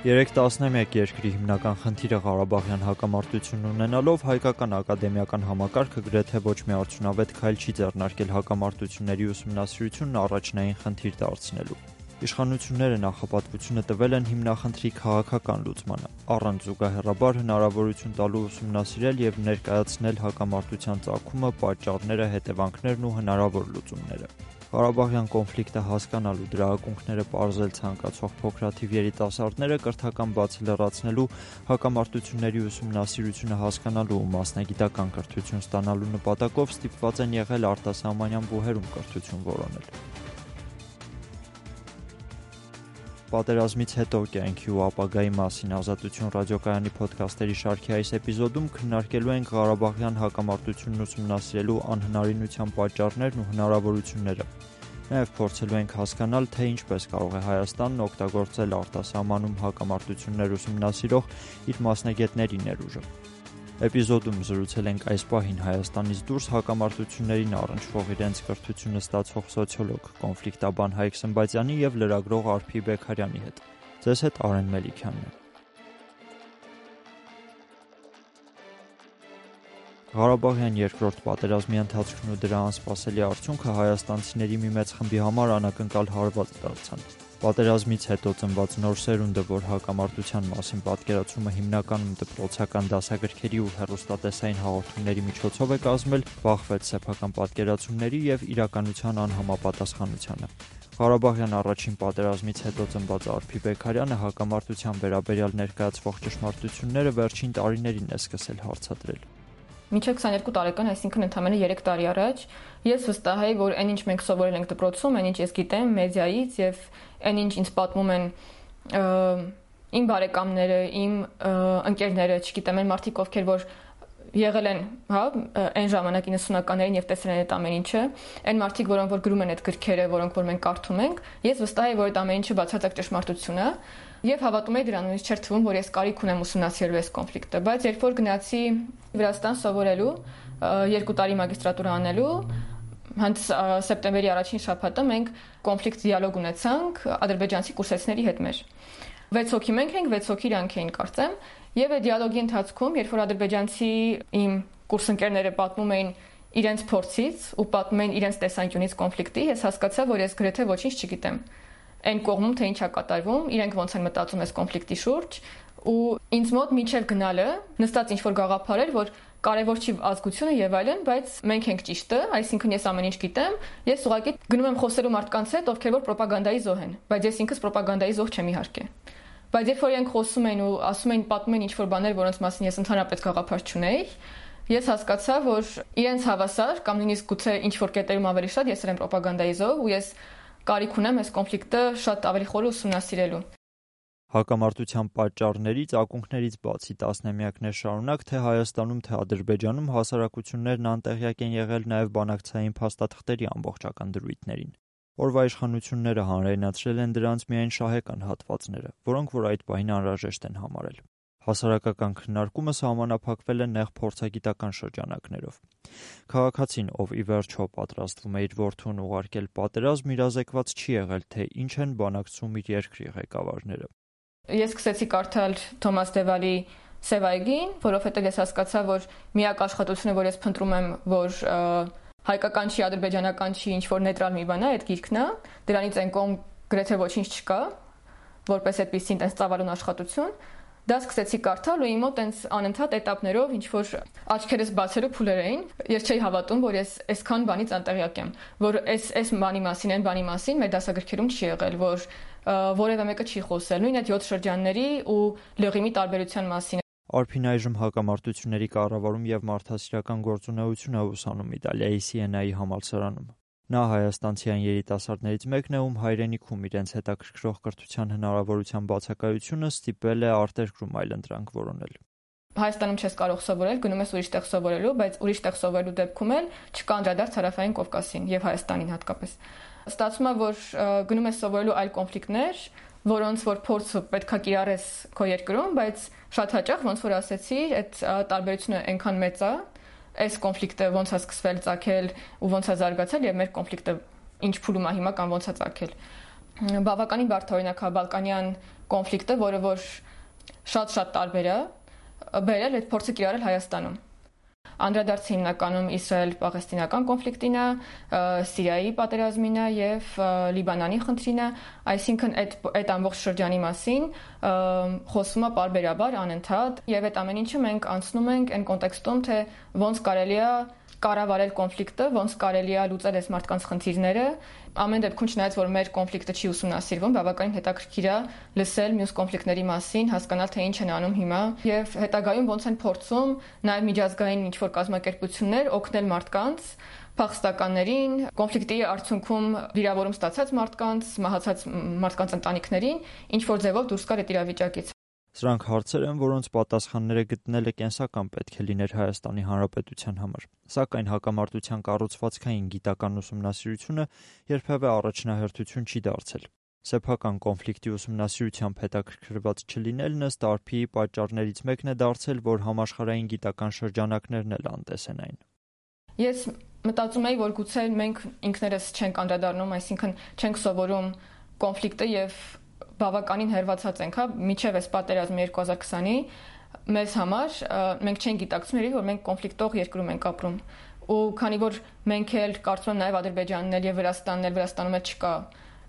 Երեք տասնամյակ երկրի հիմնական խնդիրը Ղարաբաղյան հակամարտությունն ունենալով հայկական ակադեմիական համակարգը գրեթե ոչ մի արդյունավետ քայլ չի ձեռնարկել հակամարտությունների ուսումնասիրությունն առաջնային խնդիր դարձնելու։ Իշխանությունները նախապատվությունը տվել են հիմնախնդրի քաղաքական լուծմանը, առանց զուգահեռաբար հնարավորություն տալու ուսումնասիրել և ներկայացնել հակամարտության ծագումը, պատճառները, հետևանքներն ու հնարավոր լուծումները։ Ղարաբաղյան կոնֆլիկտը հասկանալու, դրա ակունքները պարզել ցանկացող փոքրաթիվ երիտասարդները կրթական բացը լրացնելու, հակամարտությունների ուսումնասիրությունը հասկանալու ու մասնագիտական կրթություն ստանալու նպատակով ստիպված են եղել արտասահմանյան բուհերում կրթություն որոնել։ Պատերազմից հետո կյանքի ու ապագայի մասին Ազատություն ռադիոկայանի փոդքասթերի շարքի այս էպիզոդում քննարկելու ենք Ղարաբաղյան հակամարտությունն ուսումնասիրելու անհնարինության պատճառներն ու հնարավորությունները։ Նաև փորձելու ենք հասկանալ, թե ինչպես կարող է Հայաստանն օգտագործել արտասահմանում հակամարտություններ ուսումնասիրող իր մասնագետների ներուժը։ Էպիզոդում զրուցել ենք այս պահին Հայաստանից դուրս հակամարտություններին առնչվող իրենց կրթությունը ստացող սոցիոլոգ, կոնֆլիկտաբան Հայկ Սմբատյանի և լրագրող Արփի Բեգարյանի հետ։ Ձեզ հետ Արեն Մելիքյանն է։ Ղարաբաղյան երկրորդ պատերազմի ընթացքն ու դրա անսպասելի արդյունքը հայաստանցիների մի մեծ խմբի համար անակնկալ հարված դարձան։ Պատերազմից հետո ծնված նոր սերունդը, որ հակամարտության մասին պատկերացումը հիմնականում դպրոցական դասագրքերի ու հեռուստատեսային հաղորդումների միջոցով է կազմել, բախվեց սեփական պատկերացումների և իրականության անհամապատասխանությանը։ Ղարաբաղյան առաջին պատերազմից հետո ծնված Արփի Բեգարյանը հակամարտության վերաբերյալ ներկայացվող ճշմարտությունները վերջին տարիներին է սկսել հարցադրել։ Մինչև 22 տարեկան, այսինքն ընդամենը 3 տարի առաջ, ես վստահ էի, որ այն ինչ մենք սովորել ենք դպրոցում, այն ինչ ես գիտեմ մեդիայից եւ այն ինչ ինձ պատմում են իմ բարեկամները, իմ ընկերները, չգիտեմ, այն մարդիկ, ովքեր որ եղել են, այն ժամանակ 90-ականներին եւ տեսել են այդ ամեն ինչը, այն մարդիկ, որոնք որ գրում են այդ գրքերը, որոնք որ մենք կարդում ենք, ես վստահ եմ, որ այդ ամեն ինչը բացարձակ ճշմարտություն է եւ հավատում եմ դրան, ինձ չէր թվում, որ ես կարիք ունեմ ուսումնասիրելու այս կոնֆլիկտը, բայց երբ որ գնացի Վրաստան սովորելու, 2 տարի մագիստրատուրա անելու, հենց սեպտեմբերի առաջին շաբաթը մենք կոնֆլիկտ դիալոգ ունեցանք ադրբեջանցի կուրսեցների հետ մեր։ 6 հոգի մենք ենք, 6 հոգի իրանք էին, կարծեմ, եւ այդ դիալոգի ընթացքում, երբ որ ադրբեջանցի իմ կուրսընկերները պատմում էին իրենց փորձից ու պատմում էին իրենց տեսանկյունից կոնֆլիկտի, ես հասկացա, որ ես գրեթե ոչինչ չգիտեմ։ Այն կողմում թե ինչ է կատարվում, իրենք ոնց են մտածում այս կոնֆլիկտի շուրջ, ու ինձ մոտ միջև գնալը նստած ինչ-որ գաղափար էր, որ կարևոր չի ազգությունը եւ այլն, բայց մենք ենք ճիշտը, այսինքն ես ամեն ինչ գիտեմ, ես ուղղակի գնում եմ խոսելու մարդկանց հետ, ովքեր որ ռոպագանդայի զոհ են, բայց ես ինքս ռոպագանդայի զոհ չեմ իհարկե։ Բայց երբ որ իրենք խոսում էին ու ասում էին, պատմում էին ինչ-որ բաներ, որոնց մասին ես ընդհանրապես գաղափար չունեի, ես հասկացա, որ իրենց հավասար կամ նույնիսկ գուցե ինչ-որ կետերում ավելի շատ ես եմ ռոպագանդայի զոհ ու ես կարիք ունեմ այս կոնֆլիկտը շատ ավելի խորը ուսումնասիրելու։ Հակամարտության պատճառներից, ակունքներից բացի տասնամյակներ շարունակ թե Հայաստանում, թե Ադրբեջանում հասարակություններն անտեղյակ են եղել նաև բանակցային փաստաթղթերի ամբողջական դրույթներին։ Օրվա իշխանությունները հանրայնացրել են դրանց միայն շահեկան հատվածները, որոնք որ այդ պահին անհրաժեշտ են համարել։ Հասարակական քննարկումը սահմանափակվել է նեղ փորձագիտական շրջանակներով։ Քաղաքացին, ով ի վերջո պատրաստվում է իր որդուն ուղարկել պատերազմ, իրազեկված չի եղել, թե ինչ են բանակցում իր երկրի ղեկավարները։ Ես սկսեցի կարդալ Թոմաս Դևալի Սևայգին, որովհետև ես հասկացա, որ միակ աշխատությունը, որ ես փնտրում եմ, որ հայկական չի, ադրբեջանական չի, ինչ որ նեյտրալ մի բան է, այդ գիրքն է, դրանից այն կողմ գրեթե ոչինչ չկա, որպես այդպեսին տես ծավալուն աշխատություն։ Դա սկսեցի կարդալ ու իմ մոտ այնց անընդհատ էտապներով ինչ որ աչքերս բացելու փուլեր էին։ Ես չէի հավատում, որ ես այսքան բանից անտեղյակ եմ, որ այս բանի մասին, այն բանի մասին մեր դասագրքերում չի եղել, որ որևէ մեկը չի խոսել, նույն այդ 7 շրջանների ու լղիմի տարբերության մասին։ Արփին այժմ հակամարտությունների կառավարում եւ մարդասիրական գործունեություն է ուսանում Իտալիայի Սիենայի համալսարանում։ Նա հայաստանցիան երիտասարդներից մեկն է, ում հայրենիքում իրենց հետաքրքրող կրթության հնարավորության բացակայությունը ստիպել է արտերկրում այլընտրանք որոնել։ Հայաստանում չես կարող սովորել, գնում ես ուրիշ տեղ սովորելու, բայց ուրիշ տեղ սովորելու դեպքում էլ չկա անդրադարձ Հարավային Կովկասին եւ Հայաստանին հատկապես։ Ստացվում է, որ գնում ես սովորելու այլ կոնֆլիկտներ, որոնց որ փորձը պետքա կիրառես քո երկրում, բայց շատ հաճախ ոնց որ ասեցի, այդ տարբերությունը այնքան մեծ է, այս կոնֆլիկտը ոնց է սկսվել, ծագել ու ոնց է զարգացել եւ մեր կոնֆլիկտը ինչ փուլում է հիմա կամ ոնց է ծագել։ բավականին բարդ օրինակ է բալկանյան կոնֆլիկտը, որը որ շատ տարբեր է, բերել այդ փորձը կիրառել Հայաստանում։ Անդրադարձը հիմնականում Իսրայել-Պաղեստինական կոնֆլիկտին է, Սիրիայի պատերազմին է եւ Լիբանանի խնդրին է, այսինքն այդ ամբողջ շրջանի մասին խոսվում է պարբերաբար անընդհատ եւ այդ ամեն ինչը մենք անցնում ենք այն կոնտեքստում, թե ոնց կարելի է կառավարել կոնֆլիկտը, ոնց կարելի է լուծել այս մարդկանց խնդիրները։ Ամեն դեպքում չնայած որ մեր կոնֆլիկտը չի ուսումնասիրվում, բավականին հետաքրքիր է լսել մյուս կոնֆլիկտների մասին, հասկանալ թե ինչ են անում հիմա եւ հետագայում ոնց են փորձում նաեւ միջազգային ինչ-որ կազմակերպություններ օգնել մարդկանց, փախստականներին, կոնֆլիկտի արդյունքում վիրավորում ստացած մարդկանց, մահացած մարդկանց ընտանիքներին, ինչ որ ձևով դուրս գալ այդ իրավիճակից։ Սրանք հարցեր են, որոնց պատասխանները գտնելը կենսական պետք է լիներ Հայաստանի Հանրապետության համար։ Սակայն հակամարտության կառուցվածքային գիտական ուսումնասիրությունը երբևէ առաջնահերթություն չի դարձել։ Սեփական կոնֆլիկտի ուսումնասիրությամբ հետաքրքրված չլինելն ըստ ԱրՓ-ի պատճառներից մեկն է դարձել, որ համաշխարհային գիտական շրջանակներն էլ անտեսեն այն։ Ես մտածում եմ, որ գուցե մենք ինքներս չենք անդրադառնում, այսինքն չենք սովորում կոնֆլիկտը եւ բավականին հերվածած ենք, միջև այս պատերազմը 2020-ի մեզ համար մենք չենք գիտակցում, որ մենք կոնֆլիկտող երկրում ենք ապրում։ Ու քանի որ մենք էլ կարծում եմ նաև Ադրբեջանն էլ եւ Վրաստանում էլ չկա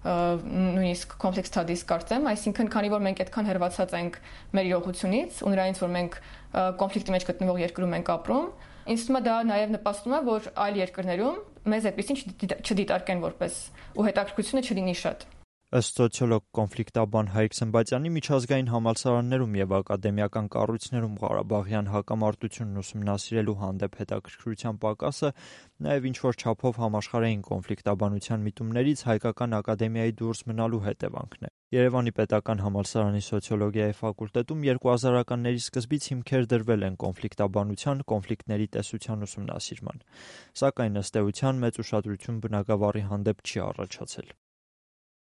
նույնիսկ complex studies կարծեմ, այսինքն քանի որ մենք այդքան հերվածած ենք մեր իրողությունից ու նրանից որ մենք կոնֆլիկտի մեջ գտնվող երկրում ենք ապրում, ինձ թվում է դա նաև նպաստում է, որ այլ երկրներում մեզ այդպեսին չդիտարկեն որպես ու հետաքրքրությունը չլինի շատ։ Ըստ սոցիոլոգ կոնֆլիկտաբան Հայկ Սմբատյանի, միջազգային համալսարաններում եւ ակադեմիական կառույցներում Ղարաբաղյան հակամարտությունն ուսումնասիրելու հանդեպ հետաքրքրության պակասը նաեւ ինչ-որ չափով համաշխարհային կոնֆլիկտաբանության միտումներից հայկական ակադեմիայի դուրս մնալու հետևանքն է։ Երևանի պետական համալսարանի սոցիոլոգիայի ֆակուլտետում 2000-ականների սկզբից հիմքեր դրվել են կոնֆլիկտաբանության, կոնֆլիկտների տեսության ուսումնասիրման, սակայն ըստ էության մեծ ուշադրություն բնագավառի հանդեպ չի առաջացել։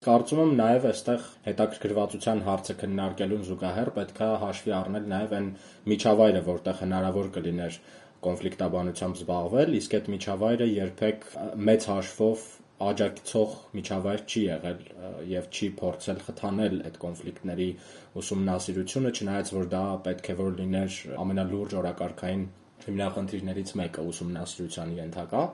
Կարծում եմ նաև այստեղ հետաքրքրվածության հարցը քննարկելուն զուգահեռ պետք է հաշվի առնել նաև այն միջավայրը, որտեղ հնարավոր կլիներ կոնֆլիկտաբանությամբ զբաղվել, իսկ այդ միջավայրը երբեք մեծ հաշվով աջակցող միջավայր չի եղել եւ չի փորձել խթանել այդ կոնֆլիկտների ուսումնասիրությունը, չնայած որ դա պետք է որ լիներ ամենալուրջ օրակարգային հիմնախնդիրներից մեկը ուսումնասիրության ենթակա։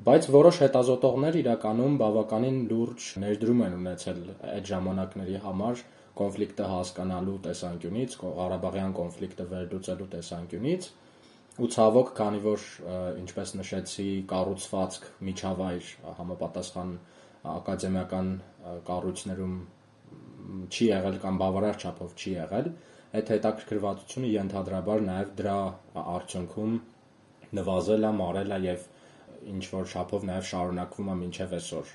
Բայց որոշ հետազոտողներ իրականում բավականին լուրջ ներդրում են ունեցել այդ ժամանակների համար կոնֆլիկտը հասկանալու տեսանկյունից, Ղարաբաղյան կոնֆլիկտը վերլուծելու տեսանկյունից, ու ցավոք, քանի որ ինչպես նշեցի, կառուցվածք, միջավայր համապատասխան ակադեմիական կառույցներում չի եղել կամ բավարար չափով չի եղել, այդ հետաքրքրվածությունը ենթադրաբար նաև դրա արդյունքում նվազել է, մարել է եւ ինչ որ շափով նաև շարունակվում է մինչև այսօր։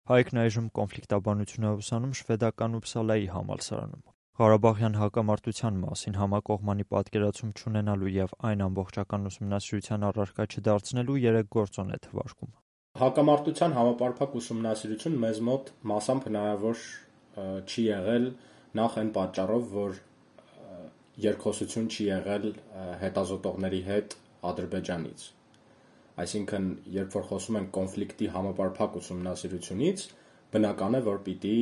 Հայկն այժմ կոնֆլիկտաբանություն է ուսանում շվեդական Ուփսալայի համալսարանում։ Ղարաբաղյան հակամարտության մասին համակողմանի պատկերացում չունենալու եւ այն ամբողջական ուսումնասիրության առարկա չդարձնելու 3 գործոն է թվարկում։ Հակամարտության համապարփակ ուսումնասիրություն մեզ մոտ մասամբ հնարավոր չի եղել նախ այն պատճառով, որ երկխոսություն չի եղել հետազոտողների հետ Ադրբեջանից։ Այսինքն, երբ որ խոսում ենք կոնֆլիկտի համապարփակ ուսումնասիրությունից, բնական է, որ պիտի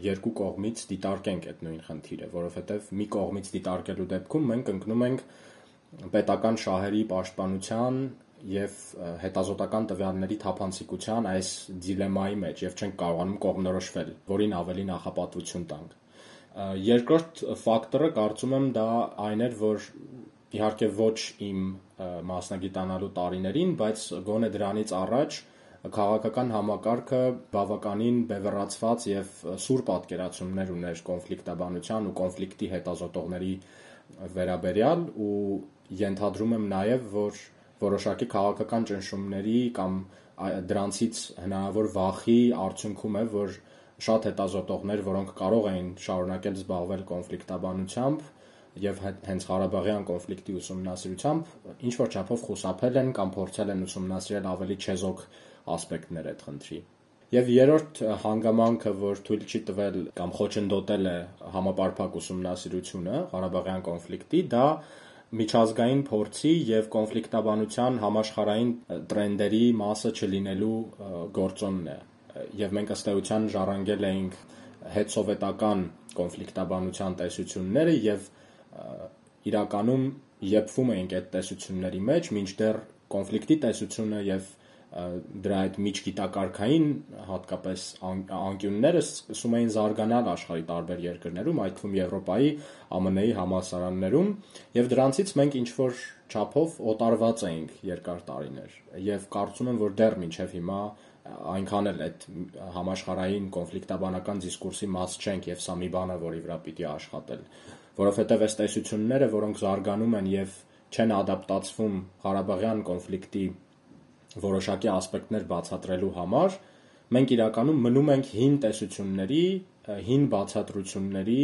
երկու կողմից դիտարկենք այդ նույն խնդիրը, որովհետև մի կողմից դիտարկելու դեպքում մենք ընկնում ենք պետական շահերի պաշտպանության եւ հետազոտական տվյալների թափանցիկության այս դիլեմայի մեջ եւ չենք կարողանում կողմնորոշվել, որին ավելի նախապատվություն տանք։ Երկրորդ ֆակտորը կարծում եմ դա այն էր, որ իհարկե ոչ իմ մասնագիտանալու տարիներին, բայց գոնե դրանից առաջ քաղաքական համակարգը բավականին բևեռացված եւ սուր պատկերացումներ ուներ կոնֆլիկտաբանության ու կոնֆլիկտի հետազոտողների վերաբերյալ ու ենթադրում եմ նաեւ, որ որոշակի քաղաքական ճնշումների կամ դրանցից հնարավոր վախի արդյունքում է, որ շատ հետազոտողներ, որոնք կարող էին շարունակել զբաղվել կոնֆլիկտաբանությամբ եւ հենց Ղարաբաղյան կոնֆլիկտի ուսումնասիրությամբ ինչ որ չափով խուսափել են կամ փորձել են ուսումնասիրել ավելի չեզոք ասպեկտներ այդ խնդրի։ Եվ երրորդ հանգամանքը, որ թույլ չի տվել կամ խոչընդոտել է համապարփակ ուսումնասիրությունը Ղարաբաղյան կոնֆլիկտի, դա միջազգային փորձի եւ կոնֆլիկտաբանության համաշխարհային տրենդերի մասը չլինելու գործոնն է։ եւ մենք ըստ էության ժառանգել էինք հետսովետական կոնֆլիկտաբանության տեսությունները եւ իրականում եփվում էինք այդ տեսությունների մեջ, մինչդեռ կոնֆլիկտի տեսությունը եւ դրա այդ միջգիտակարգային հատկապես անկյունները սկսում էին զարգանալ աշխարհի տարբեր երկրներում, այդ թվում Եվրոպայի, ԱՄՆ-ի համալսարաններում, եւ դրանցից մենք ինչ-որ չափով օտարված էինք երկար տարիներ, եւ կարծում եմ, որ դեռ մինչեւ հիմա այնքան էլ այդ համաշխարհային կոնֆլիկտաբանական դիսկուրսի մաս չենք, եւ սա մի բան է, որի վրա պիտի աշխատել, որովհետեւ այս տեսությունները, որոնք զարգանում են եւ չեն ադապտացվում Ղարաբաղյան կոնֆլիկտի որոշակի ասպեկտներ բացատրելու համար, մենք իրականում մնում ենք հին տեսությունների, հին բացատրությունների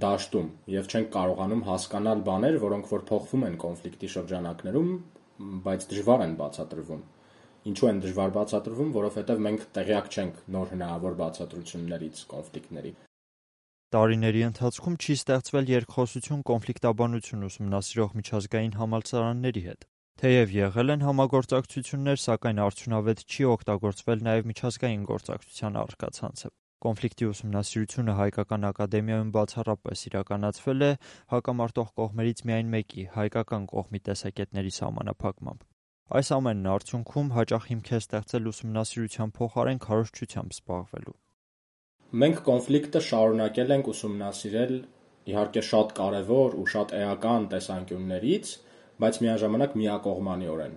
դաշտում եւ չենք կարողանում հասկանալ բաներ, որոնք որ փոխվում են կոնֆլիկտի շրջանակներում, բայց դժվար են բացատրվում։ Ինչու են դժվար բացատրվում, որովհետեւ մենք տեղյակ չենք նոր հնարավոր բացատրություններից կոնֆլիկտների։ Տարիների ընթացքում չի ստեղծվել երկխոսություն կոնֆլիկտաբանություն ուսումնասիրող միջազգային համալսարանների հետ։ Թեև եղել են համագործակցություններ, սակայն արդյունավետ չի օգտագործվել նաև միջազգային գործակցության առկա ցանցը։ Կոնֆլիկտի ուսումնասիրությունը հայկական ակադեմիայում բացառապես իրականացվել է հակամարտող կողմերից միայն մեկի՝ հայկական կողմի տեսակետների սահմանափակմամբ։ Այս ամենն արդյունքում հաճախ հիմք է ստեղծել ուսումնասիրության փոխարեն քարոզչությամբ զբաղվելու։ Մենք կոնֆլիկտը շարունակել ենք ուսումնասիրել իհարկե շատ կարևոր ու շատ էական տեսանկյուններից, բայց միաժամանակ միակողմանիորեն։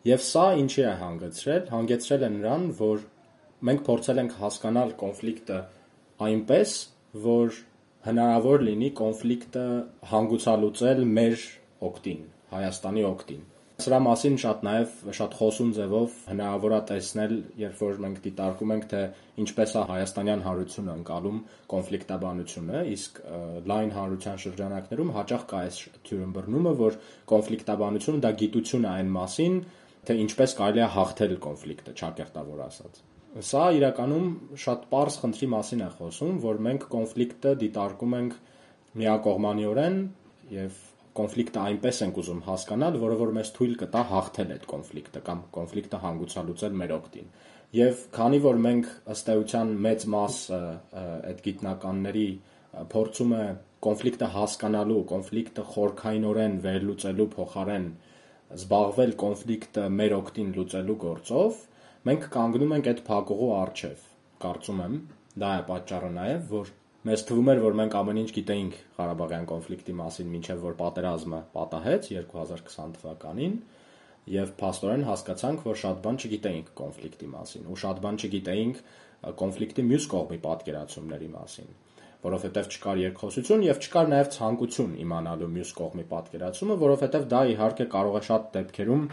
Եվ սա ինչի է հանգեցրել։ Հանգեցրել է նրան, որ մենք փորձել ենք հասկանալ կոնֆլիկտը այնպես, որ հնարավոր լինի կոնֆլիկտը հանգուցալուծել մեր օգտին, Հայաստանի օգտին։ Սրա մասին շատ խոսուն ձևով հնարավոր է տեսնել, երբ որ մենք դիտարկում ենք, թե ինչպես է հայաստանյան հանրությունը ընկալում կոնֆլիկտաբանությունը, իսկ լայն հանրության շրջանակներում հաճախ կա այս թյուրըմբռնումը, որ կոնֆլիկտաբանությունը դա գիտություն է այն մասին, թե ինչպես կարելի է հաղթել կոնֆլիկտը, ճակերտավոր ասած։ Սա իրականում շատ պարզ խնդրի մասին է խոսում, որ մենք կոնֆլիկտը դիտարկում ենք միակողմանիորեն եւ կոնֆլիկտը այնպես ենք ուզում հասկանալ, որը որ մեզ թույլ կտա հաղթել այդ կոնֆլիկտը կամ կոնֆլիկտը հանգուցալուծել մեր օգտին։ Եվ քանի որ մենք ըստ էության մեծ մասը այդ գիտնականների փորձում է կոնֆլիկտը հասկանալու, կոնֆլիկտը խորքայինորեն վերլուծելու փոխարեն զբաղվել կոնֆլիկտը մեր օգտին լուծելու գործով, մենք կանգնում ենք այդ փակուղու առջև, կարծում եմ, դա է պատճառը նաև, որ մեզ թվում էր, որ մենք ամեն ինչ գիտեինք Ղարաբաղյան կոնֆլիկտի մասին, մինչև որ պատերազմը պատահեց 2020 թվականին, եւ փաստորեն հասկացանք, որ շատ բան չգիտեինք կոնֆլիկտի մասին, ու շատ բան չգիտեինք կոնֆլիկտի մյուս կողմի պատկերացումների մասին, որովհետեւ չկար երկխոսություն եւ չկար նաեւ ցանկություն իմանալու մյուս կողմի պատկերացումը, որովհետեւ դա իհարկե կարող է շատ դեպքերում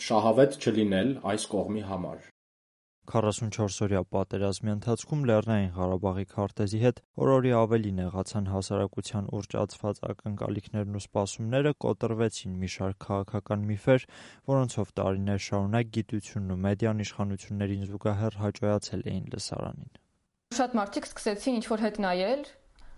շահավետ չլինել այս կողմի համար։ 44-օրյա պատերազմի ընթացքում Լեռնային Ղարաբաղի քարտեզի հետ օրորի ավելի նեղացան հասարակության ուռճ ածված ակնկալիքներն ու սպասումները, կոտրվեցին մի շարք քաղաքական միֆեր, որոնցով տարիներ շարունակ գիտությունն ու մեդիան իշխանություններին զուգահեռ հաճոյացել էին լսարանին։ Շատ մարդիկ սկսեցին ինչ-որ հետ նայել,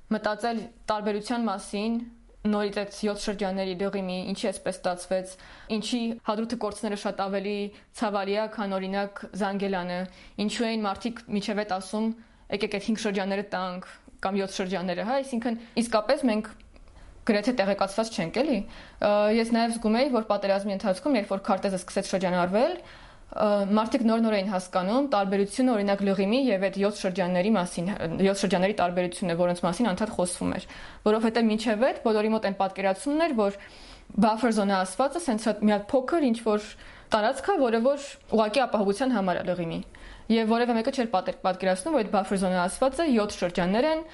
մտածել տարբերության մասին, նորից այդ 7 շրջանների դեղիմի, ինչի էսպես ստացվեց, ինչի հադրութը կորցները շատ ավելի ցավալի է, քան օրինակ Զանգելանը, ինչու էին մարդիկ միջև այդ ասում, եկեք այդ 5 շրջանները տանք կամ 7 շրջանները, հա, այսինքն իսկապես մենք գրեթե տեղեկացված չենք, էլի։ Ես նաև զգում էի, որ պատերազմի ընթացքում, երբ որ քարտեզը սկսեց շրջանառվել, մարդիկ նոր էին հասկանում տարբերությունը օրինակ Լղիմի եւ այդ 7 շրջանների մասին, 7 շրջանների տարբերությունը, որոնց մասին անդադ խոսվում էր, որովհետեւ մինչեւ այդ բոլորի մոտ այն պատկերացումն էր, որ buffer zone-ը ասվածը սենց մի հատ փոքր ինչ որ տարածք է, որը որ ուղղակի ապահովության համար է Լղիմի։ Եվ որևէ մեկը չէր պատկերացնում, որ այդ buffer zone-ը ասվածը 7 շրջաններ են,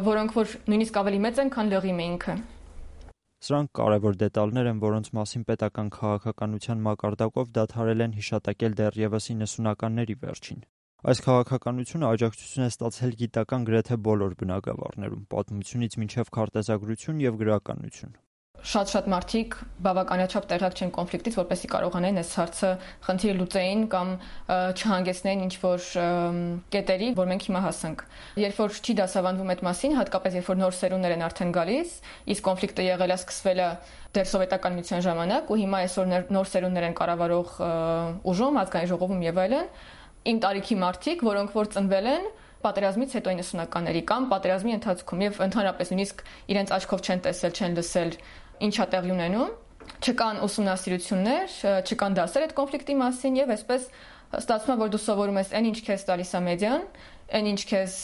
որոնք որ նույնիսկ ավելի մեծ են, քան Լղիմը ինքը։ Սրանք կարևոր դետալներ են, որոնց մասին պետական քաղաքականության մակարդակով դադարել են հիշատակել դեռևս 90-ականների վերջին։ Այս քաղաքականությունը աջակցություն է ստացել գիտական գրեթե բոլոր բնագավառներում, պատմությունից մինչև քարտեզագրություն եւ գրականություն։ Շատ մարդիկ բավականաչափ տեղյակ չեն կոնֆլիկտից, որպեսզի կարողանային այս հարցը խնդիրը լուծեին կամ չհանգեցնեին ինչ-որ կետերի, որ մենք հիմա հասանք։ Երբ որ չի դասավանդվում այդ մասին, հատկապես երբ որ նոր սերունդներ են արդեն գալիս, իսկ կոնֆլիկտը եղել է սկսվել է դեռ սովետական միության ժամանակ, ու հիմա այսօր նոր սերունդներ են կառավարող ուժում, ազգային ժողովում եւ այլն, իմ տարիքի մարդիկ, որոնք որ ծնվել են պատերազմից հետո 90-ականների կամ պատերազմի ընթացքում եւ ընդհանրապես նույնիսկ իրենց աչքով չեն տեսել, չեն լսել ինչա տեղի ունենում, չկան ուսումնասիրություններ, չկան դասեր այդ կոնֆլիկտի մասին եւ այսպես ստացվում է, որ դու սովորում ես այն ինչ քեզ տալիս է մեդիան, այն ինչ քեզ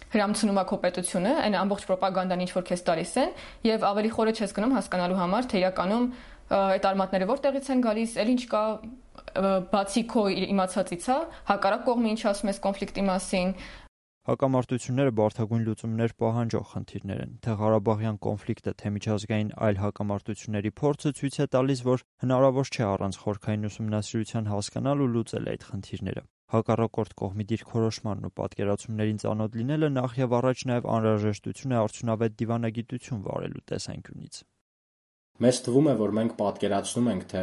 հրամցնում է քո պետությունը, այն ամբողջ ռոպագանդան ինչ որ քեզ տալիս են եւ ավելի խորը չես գնում հասկանալու համար, թե իրականում այդ արմատները որտեղից են գալիս, էլ ինչ կա բացի քո իմացածից, հակառակ կողմը ինչ ասում ես կոնֆլիկտի մասին։ Հակամարտությունները բարդագույն լուծումներ պահանջող խնդիրներ են, թե Ղարաբաղյան կոնֆլիկտը, թե միջազգային այլ հակամարտությունների փորձը ցույց է տալիս, որ հնարավոր չէ առանց խորքային ուսումնասիրության հասկանալ ու լուծել այդ խնդիրները։ Հակառակորդ կողմի դիրքորոշմանն ու պատկերացումներին ծանոթ լինելը նախ եւ առաջ նաեւ անհրաժեշտություն է արդյունավետ դիվանագիտություն վարելու տեսանկյունից։ Մեզ թվում է, որ մենք պատկերացնում ենք, թե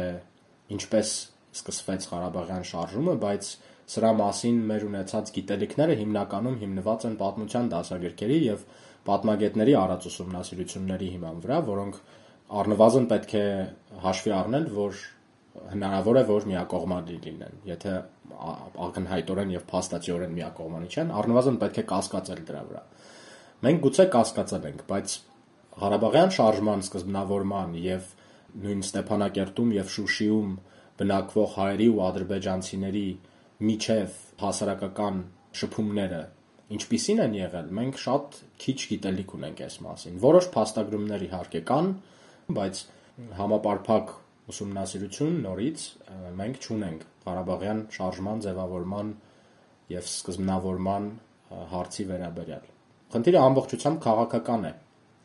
ինչպես սկսվեց Ղարաբաղյան շարժումը, բայց սրա մասին մեր ունեցած գիտելիքները հիմնականում հիմնված են պատմության դասագրքերի եւ պատմագետների արած ուսումնասիրությունների հիման վրա, որոնք առնվազն պետք է հաշվի առնել, որ հնարավոր է, որ միակողմանի լինեն, եթե ակնհայտորեն եւ փաստացիորեն միակողմանի չեն, առնվազն պետք է կասկածել դրա վրա։ Մենք գուցե կասկածել ենք, բայց Ղարաբաղյան շարժման սկզբնավորման եւ նույն Ստեփանակերտում եւ Շուշիում բնակվող հայերի ու ադրբեջանցիների միջև հասարակական շփումները ինչպիսին են եղել, մենք շատ քիչ գիտելիք ունենք այս մասին։ Որոշ փաստագրումներ իհարկե կան, բայց համապարփակ ուսումնասիրություն նորից մենք չունենք Ղարաբաղյան շարժման ձևավորման եւ սկզբնավորման հարցի վերաբերյալ։ Խնդիրը ամբողջությամբ քաղաքական է,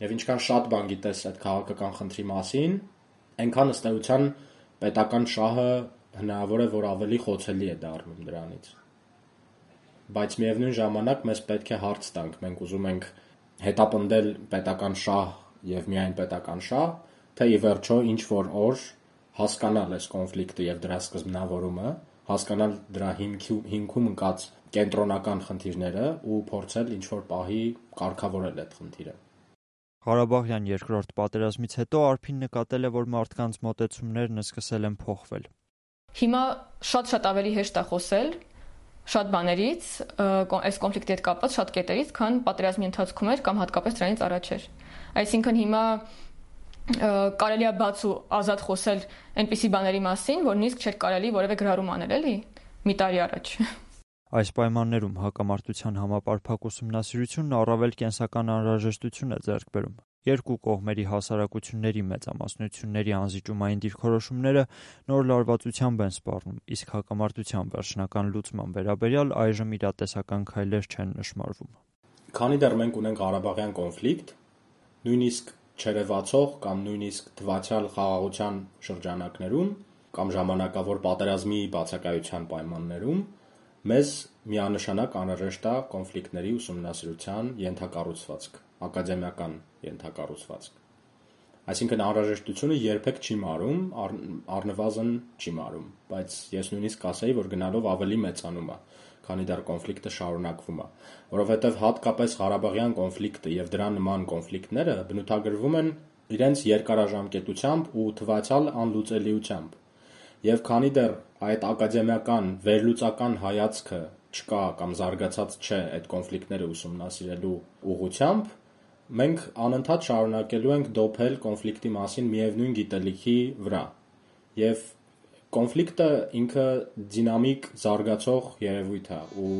եւ ինչքան շատ բան գիտես այդ քաղաքական խնդրի մասին, այնքան ըստ էության պետական շահը հնարավոր է, որ ավելի խոցելի է դառնում դրանից։ Բայց միևնույն ժամանակ մեզ պետք է հարց տանք, մենք ուզում ենք հետապնդել պետական շահ եւ միայն պետական շահ, թե ի վերջո ինչ որ օր հասկանալ այս կոնֆլիկտը եւ դրա սկզբնավորումը, հասկանալ դրա հիմքում ընկած կենտրոնական խնդիրները ու փորձել ինչ որ պահի կարգավորել այդ խնդիրը։ Ղարաբաղյան երկրորդ պատերազմից հետո Արփին նկատել է, որ մարդկանց մոտեցումներն սկսել են փոխվել։ Հիմա շատ ավելի հեշտ է խոսել շատ բաներից, այս կոնֆլիկտի հետ կապված շատ կետերից, քան պատերազմի ընթացքում էր կամ հատկապես դրանից առաջ էր։ Այսինքն հիմա կարելի է բաց ու ազատ խոսել այնպիսի բաների մասին, որ նույնիսկ չէր կարելի որևէ գրառում անել, էլի, մի տարի առաջ։ Այս պայմաններում հակամարտության համապարփակ ուսումնասիրությունն առավել կենսական անհրաժեշտություն է ձեռք բերում։ Երկու կողմերի հասարակությունների մեծամասնությունների անզիջումային դիրքորոշումները նոր լարվածությամբ են սպառնում, իսկ հակամարտության վերջնական լուծման վերաբերյալ այժմ իրատեսական քայլեր չեն նշմարվում։ Քանի դեռ մենք ունենք Ղարաբաղյան կոնֆլիկտ, նույնիսկ չերևացող կամ նույնիսկ թվացյալ խաղաղության շրջանակներում կամ ժամանակավոր պատերազմի բացակայության պայմաններում մեզ միանշանակ անհրաժեշտ է կոնֆլիկտների ուսումնասիրության ենթակառուցվածք, ակադեմիական ենթակառուցվածք։ Այսինքն անհրաժեշտությունը երբեք չի մարում, առնվազն չի մարում, բայց ես նույնիսկ կասեի, որ գնալով ավելի մեծանում է, քանի դեռ կոնֆլիկտը շարունակվում է, որովհետև հատկապես Ղարաբաղյան կոնֆլիկտը եւ դրա նման կոնֆլիկտները բնութագրվում են իրենց երկարաժամկետությամբ ու թվացյալ անլուծելիությամբ։ Եվ քանի դեռ այդ ակադեմիական վերլուծական հայացքը չկա կամ զարգացած չէ այդ կոնֆլիկտները ուսումնասիրելու ուղղությամբ, մենք անընդհատ շարունակելու ենք դոփել կոնֆլիկտի մասին միևնույն գիտելիքի վրա։ Եվ կոնֆլիկտը ինքը դինամիկ զարգացող երևույթ է ու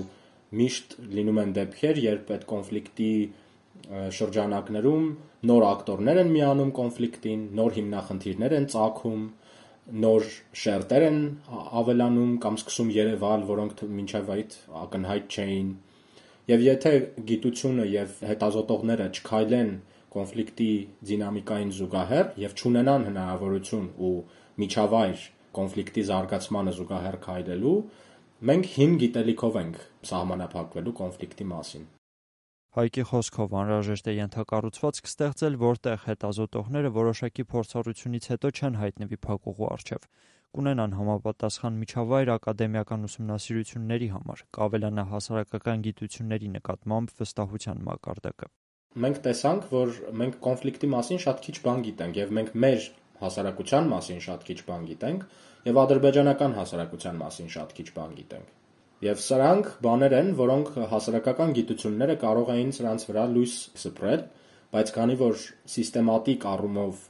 միշտ լինում են դեպքեր, երբ այդ կոնֆլիկտի շրջանակներում նոր ակտորներ են միանում կոնֆլիկտին, նոր հիմնախնդիրներ են ծագում, նոր շերտեր են ավելանում կամ սկսում երևալ, որոնք մինչև այդ ակնհայտ չէին։ Եվ եթե գիտությունը եւ հետազոտողները չքայլեն կոնֆլիկտի դինամիկային զուգահեռ եւ չունենան հնարավորություն ու միջավայր կոնֆլիկտի զարգացմանը զուգահեռ քայլելու, մենք հին գիտելիքով ենք սահմանափակվելու կոնֆլիկտի մասին։ Հայկի խոսքով անհրաժեշտ է ենթակառուցվածք ստեղծել, որտեղ հետազոտողները որոշակի փորձառությունից հետո չեն հայտնվի փակուղու առջև, կունենան համապատասխան միջավայր ակադեմիական ուսումնասիրությունների համար, կավելանա հասարակական գիտությունների նկատմամբ վստահության մակարդակը։ Մենք տեսանք, որ մենք կոնֆլիկտի մասին շատ քիչ բան գիտենք եւ մենք մեր հասարակության մասին շատ քիչ բան գիտենք եւ ադրբեջանական հասարակության մասին շատ քիչ բան գիտենք։ Եվ սրանք բաներ են, որոնք հասարակական գիտությունները կարող էին սրանց վրա լույս սփռել, բայց քանի որ սիստեմատիկ առումով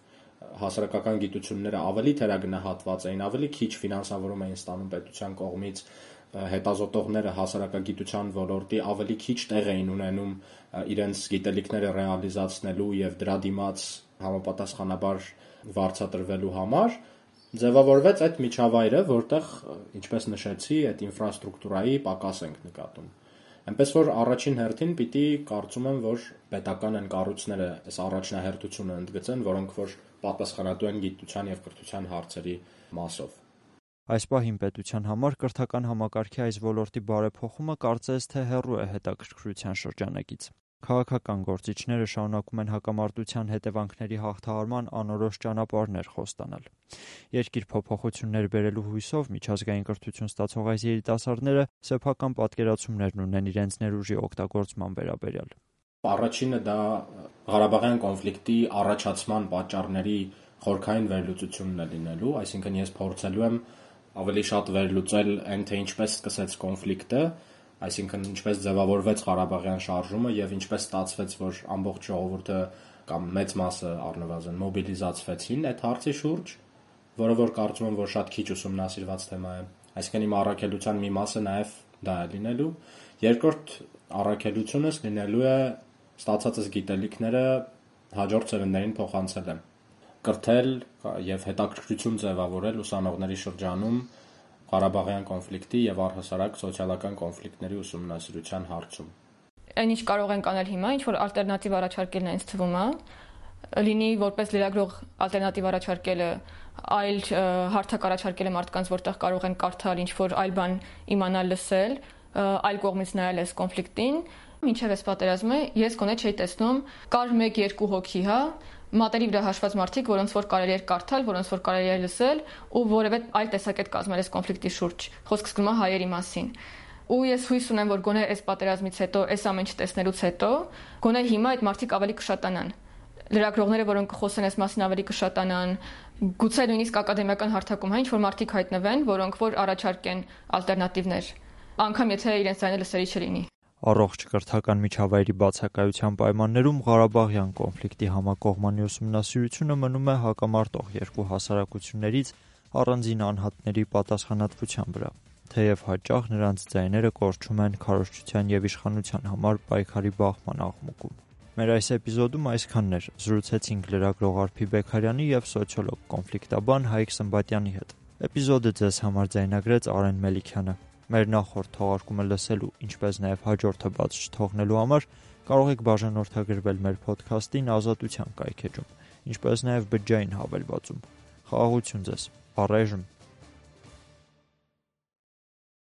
հասարակական գիտությունները ավելի թերագնահատված էին, ավելի քիչ ֆինանսավորում էին ստանում պետության կողմից, հետազոտողները հասարակագիտության ոլորտի ավելի քիչ տեղ էին ունենում իրենց գիտելիքները ռեալիզացնելու եւ դրա դիմաց համապատասխանաբար վարձատրվելու համար, ձևավորվեց այդ միջավայրը, որտեղ, ինչպես նշեցի, այդ ինֆրաստրուկտուրայի պակաս ենք նկատում։ Այնպես որ առաջին հերթին պիտի կարծում եմ, որ պետական են կառույցները այս առաջնահերթությունը ընդգծեն, որոնք որ պատասխանատու են գիտության եւ կրթության հարցերի մասով։ Այս պահին պետության համար կրթական համակարգի այս ոլորտի բարեփոխումը կարծես թե հեռու է հետաքրքրության շրջանակից։ Քաղաքական գործիչները շարունակում են հակամարտության հետևանքների հաղթահարման անորոշ ճանապարհներ խոստանալ։ Երկիր փոփոխություններ բերելու հույսով միջազգային կրթություն ստացող այս երիտասարդները սեփական պատկերացումներն ունեն իրենց ներուժի օգտագործման վերաբերյալ։ Առաջինը դա Ղարաբաղյան կոնֆլիկտի առաջացման պատճառների խորքային վերլուծությունն է լինելու, այսինքն ես փորձելու եմ ավելի շատ վերլուծել այն, թե ինչպես սկսեց կոնֆլիկտը, այսինքն ինչպես ձևավորվեց Ղարաբաղյան շարժումը եւ ինչպես ստացվեց, որ ամբողջ ժողովուրդը կամ մեծ մասը առնվազն մոբիլիզացվեցին այդ հարցի շուրջ, որը որ կարծում եմ, որ շատ քիչ ուսումնասիրված թեմա է։ Այսինքն իմ առաքելության մի մասը նաեւ դա է լինելու։ Երկրորդ առաքելությունս լինելու է ստացածս գիտելիքները հաջորդ սերունդներին փոխանցել եմ, կրթել եւ հետաքրքրություն ձևավորել ուսանողների շրջանում Ղարաբաղյան կոնֆլիկտի եւ առհասարակ սոցիալական կոնֆլիկտների ուսումնասիրության հարցում։ Այն ինչ կարող ենք անել հիմա, ինչ որ ալտերնատիվ առաջարկելն է ինձ թվում է, լինի որպես լրագրող ալտերնատիվ առաջարկելը, այլ հարթակ առաջարկելը մարդկանց, որտեղ կարող են կարդալ ինչ որ այլ բան իմանալ, լսել, այլ կողմից նայել այս կոնֆլիկտին, մինչև այս պատերազմը ես գոնե չէի տեսնում, կար 1-2 հոգի, մատերի վրա հաշված մարդիկ, որոնց որ կարելի էր կարդալ, որոնց որ կարելի էր լսել ու որևէ այլ տեսակետ կազմել այս կոնֆլիկտի շուրջ։ Խոսքը գնում է հայերի մասին։ Ու ես հույս ունեմ, որ գոնե այս պատերազմից հետո, այս ամեն ինչ տեսնելուց հետո, գոնե հիմա այդ մարդիկ ավելի կշատանան։ Լրագրողները, որոնք կխոսեն այս մասին, ավելի կշատանան, գուցե նույնիսկ ակադեմիական հարթակում ինչ որ մարդիկ հայտնվեն, որոնք որ առաջարկեն ալտերնատիվներ, անգամ եթե իրենց ձայնը լսելի չլինի։ Առողջ կրթական միջավայրի բացակայության պայմաններում Ղարաբաղյան կոնֆլիկտի համակողմանի ուսումնասիրությունը մնում է հակամարտող երկու հասարակություններից առանձին անհատների պատասխանատվության վրա, թեև հաճախ նրանց ձայները կորչում են քարոզչության եւ իշխանության համար պայքարի բախման աղմուկում։ Մեր այս էպիզոդում այսքանն էր։ Զրուցեցինք լրագրող Արփի Բեգարյանի եւ սոցիոլոգ կոնֆլիկտաբան Հայկ Սմբատյանի հետ։ Էպիզոդը ձեզ համար ձայնագրեց Արեն Մելիքյանը։ Մեր նախորդ թողարկումը լսելու, ինչպես նաև հաջորդը բաց չթողնելու համար կարող եք բաժանորդագրվել մեր փոդքասթին Ազատության կայքէջում, ինչպես նաև բջջային հավելվածում։ Խաղաղություն ձեզ։ Առայժմ